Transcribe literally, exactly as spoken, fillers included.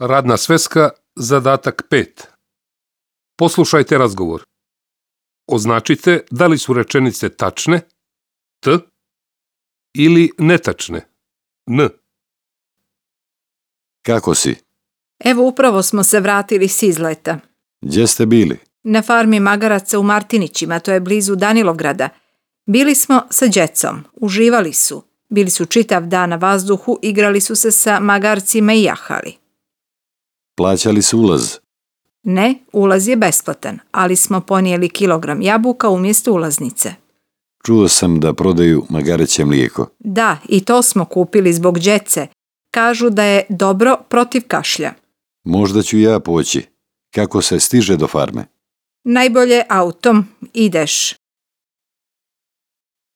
Radna sveska, zadatak pet. Poslušajte razgovor. Označite da li su rečenice tačne, T, ili netačne, N. Kako si? Evo, upravo smo se vratili s izleta. Gdje ste bili? Na farmi magaraca u Martinićima, to je blizu Danilovgrada. Bili smo sa djecom, uživali su. Bili su čitav dan na vazduhu, igrali su se sa magarcima i jahali. Plaćali su ulaz? Ne, ulaz je besplatan, ali smo ponijeli kilogram jabuka umjesto ulaznice. Čuo sam da prodaju magareće mlijeko. Da, i to smo kupili zbog djece. Kažu da je dobro protiv kašlja. Možda ću ja poći. Kako se stiže do farme? Najbolje autom ideš.